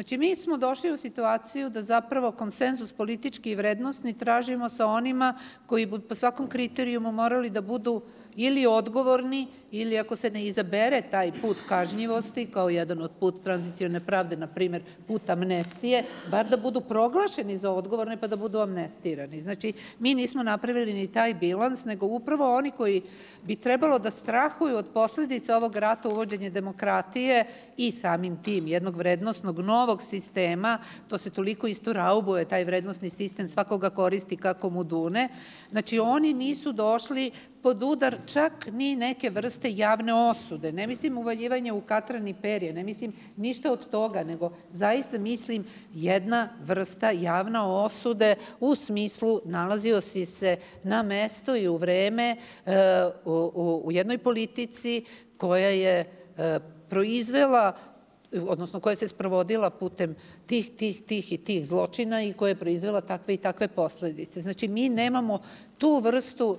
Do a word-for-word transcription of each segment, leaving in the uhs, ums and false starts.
Znači, mi smo došli u situaciju da zapravo konsenzus politički i vrednostni tražimo sa onima koji bi po svakom kriterijumu morali da budu ili odgovorni, ili ako se ne izabere taj put kažnjivosti, kao jedan od put tranzicione pravde, na primjer put amnestije, bar da budu proglašeni za odgovorne pa da budu amnestirani. Znači, mi nismo napravili ni taj bilans, nego upravo oni koji bi trebalo da strahuju od posledica ovog rata, uvođenje demokratije i samim tim jednog vrednostnog novog sistema, to se toliko isto raubuje, taj vrednostni sistem svakoga koristi kako mu dune. Znači, oni nisu došli pod udar čak ni neke vrste javne osude. Ne mislim uvaljivanje u katran i perje, ne mislim ništa od toga, nego zaista mislim jedna vrsta javne osude u smislu nalazio si se na mesto i u vreme u, u jednoj politici koja je proizvela, odnosno koja se sprovodila putem tih, tih, tih i tih zločina i koja je proizvela takve i takve posledice. Znači, mi nemamo tu vrstu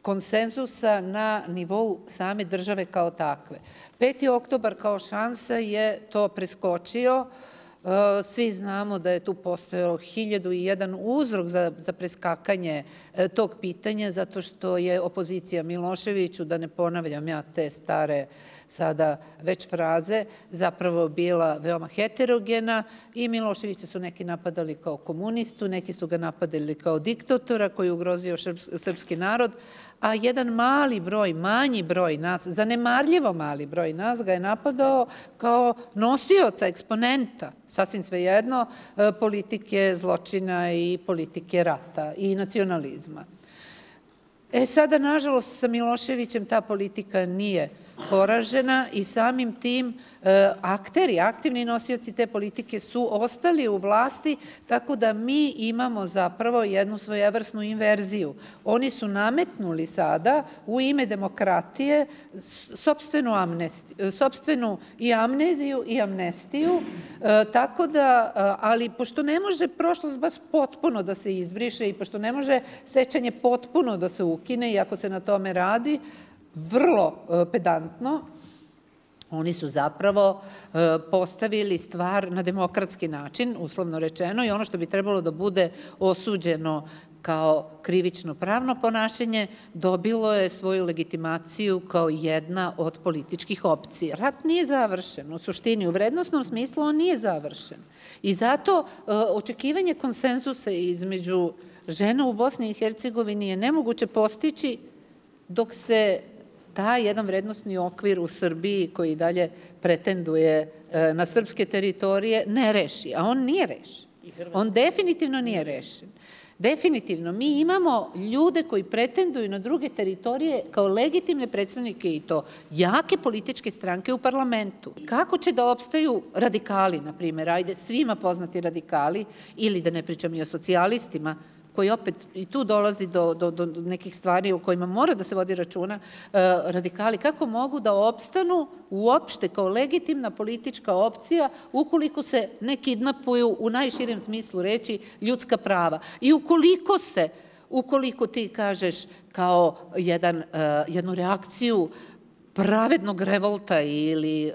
konsenzusa na nivou same države kao takve. Peti oktobar kao šansa je to preskočio. Svi znamo da je tu postojao hiljadu i jedan uzrok za, za preskakanje tog pitanja, zato što je opozicija Miloševiću, da ne ponavljam ja te stare sada već fraze, zapravo bila veoma heterogena i Miloševića su neki napadali kao komunistu, neki su ga napadali kao diktatora koji je ugrozio srpski narod, a jedan mali broj, manji broj nas, zanemarljivo mali broj nas ga je napadao kao nosioca, eksponenta, sasvim svejedno, politike zločina i politike rata i nacionalizma. E sada, nažalost, sa Miloševićem ta politika nije poražena i samim tim akteri, aktivni nosioci te politike su ostali u vlasti, tako da mi imamo zapravo jednu svojevrsnu inverziju. Oni su nametnuli sada u ime demokratije sopstvenu, amnestiju, sopstvenu i amneziju i amnestiju, tako da, ali pošto ne može prošlost baš potpuno da se izbriše i pošto ne može sećanje potpuno da se ukine i ako se na tome radi, vrlo pedantno, oni su zapravo postavili stvar na demokratski način, uslovno rečeno, i ono što bi trebalo da bude osuđeno kao krivično pravno ponašanje, dobilo je svoju legitimaciju kao jedna od političkih opcija. Rat nije završen, u suštini, u vrednostnom smislu on nije završen. I zato očekivanje konsenzusa između žena u Bosni i Hercegovini je nemoguće postići dok se taj jedan vrednostni okvir u Srbiji koji dalje pretenduje na srpske teritorije ne reši, a on nije rešen. On definitivno nije rešen. Definitivno, mi imamo ljude koji pretenduju na druge teritorije kao legitimne predstavnike i to jake političke stranke u parlamentu. Kako će da opstaju radikali, na primjer, ajde, svima poznati radikali, ili da ne pričam i o socijalistima, koji opet i tu dolazi do, do, do nekih stvari o kojima mora da se vodi računa, radikali, kako mogu da opstanu uopšte kao legitimna politička opcija ukoliko se ne kidnapuju u najširem smislu reči ljudska prava. I ukoliko se, ukoliko ti kažeš kao jedan, jednu reakciju pravednog revolta ili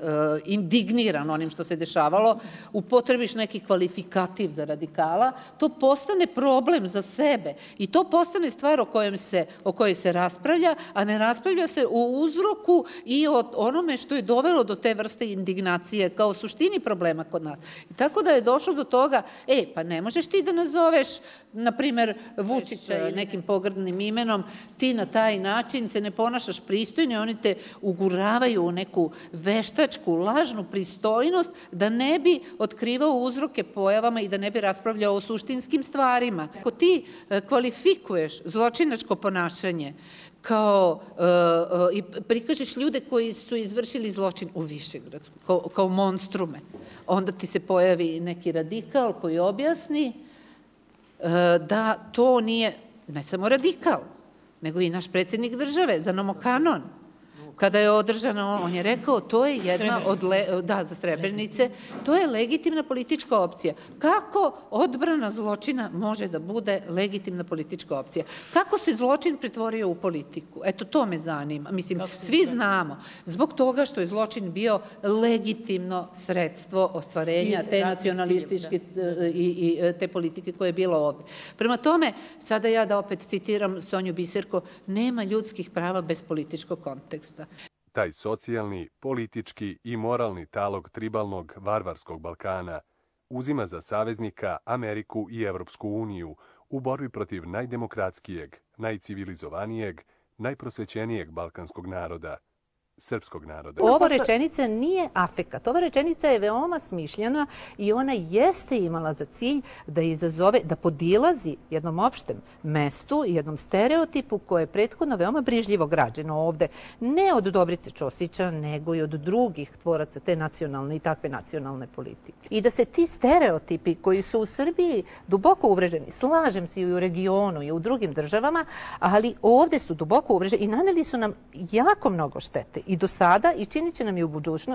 indigniran onim što se dešavalo, upotrebiš neki kvalifikativ za radikala, to postane problem za sebe i to postane stvar o kojem se, o kojoj se raspravlja, a ne raspravlja se o uzroku i o onome što je dovelo do te vrste indignacije kao suštini problema kod nas. I tako da je došlo do toga, e, pa ne možeš ti da nazoveš, na primer, Vučića i nekim pogrdnim imenom, ti na taj način se ne ponašaš pristojno, oni te uguravaju u neku veštačku, lažnu pristojnost da ne bi otkrivao uzroke pojavama i da ne bi raspravljao o suštinskim stvarima. Ako ti kvalifikuješ zločinačko ponašanje kao i prikažeš ljude koji su izvršili zločin u Višegradsku, kao, kao monstrume, onda ti se pojavi neki radikal koji objasni da to nije ne samo radikal, nego i naš predsjednik države, za nomokanon. kada je održano, on je rekao, to je jedna od, da, za Srebrenice, to je legitimna politička opcija. Kako odbrana zločina može da bude legitimna politička opcija? Kako se zločin pretvorio u politiku? Eto, to me zanima. Mislim, svi znamo, zbog toga što je zločin bio legitimno sredstvo ostvarenja te nacionalističke i te politike koje je bilo ovde. Prema tome, sada ja da opet citiram Sonju Biserko, nema ljudskih prava bez političkog konteksta. Taj socijalni, politički i moralni talog tribalnog varvarskog Balkana uzima za saveznika Ameriku i Evropsku uniju u borbi protiv najdemokratskijeg, najcivilizovanijeg, najprosvećenijeg balkanskog naroda, srpskog naroda. Ova rečenica nije afekat. Ova rečenica je veoma smišljena i ona jeste imala za cilj da izazove, da podilazi jednom opštem mestu i jednom stereotipu koje je prethodno veoma brižljivo građeno ovde. Ne od Dobrice Ćosića, nego i od drugih tvoraca te nacionalne i takve nacionalne politike. I da se ti stereotipi koji su u Srbiji duboko uvreženi, slažem se i u regionu i u drugim državama, ali ovde su duboko uvreženi i naneli su nam jako mnogo štete. I do sada, i činit će nam i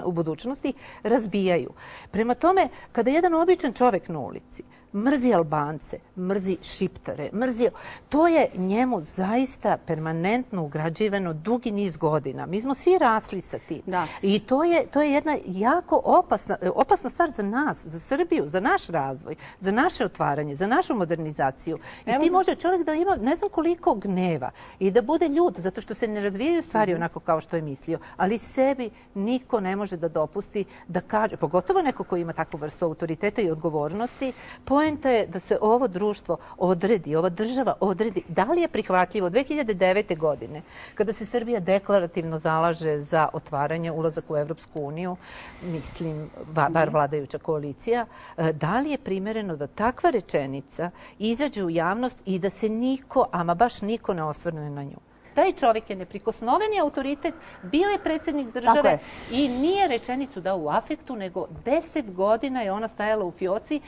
u budućnosti, razbijaju. Prema tome, kada jedan običan čovek na ulici mrzi Albance, mrzi Šiptare, mrzi... To je njemu zaista permanentno ugrađivano dugi niz godina. Mi smo svi rasli sa tim. Da. I to je, to je jedna jako opasna, opasna stvar za nas, za Srbiju, za naš razvoj, za naše otvaranje, za našu modernizaciju. I Evo ti za... može čovjek da ima ne znam koliko gneva i da bude ljut, zato što se ne razvijaju stvari mm-hmm. onako kao što je mislio. Ali sebi niko ne može da dopusti da kaže, pogotovo neko ko ima takvu vrstu autoriteta i odgovornosti, poenta je da se ovo društvo odredi, ova država odredi. Da li je prihvatljivo dve hiljade devete. godine, kada se Srbija deklarativno zalaže za otvaranje, ulazak u Evropsku uniju, mislim, bar vladajuća koalicija, da li je primereno da takva rečenica izađe u javnost i da se niko, ama baš niko ne osvrne na nju? Taj čovjek je neprikosnoveni autoritet, bio je predsjednik države i nije rečenicu dao u afektu, nego deset godina je ona stajala u fioci.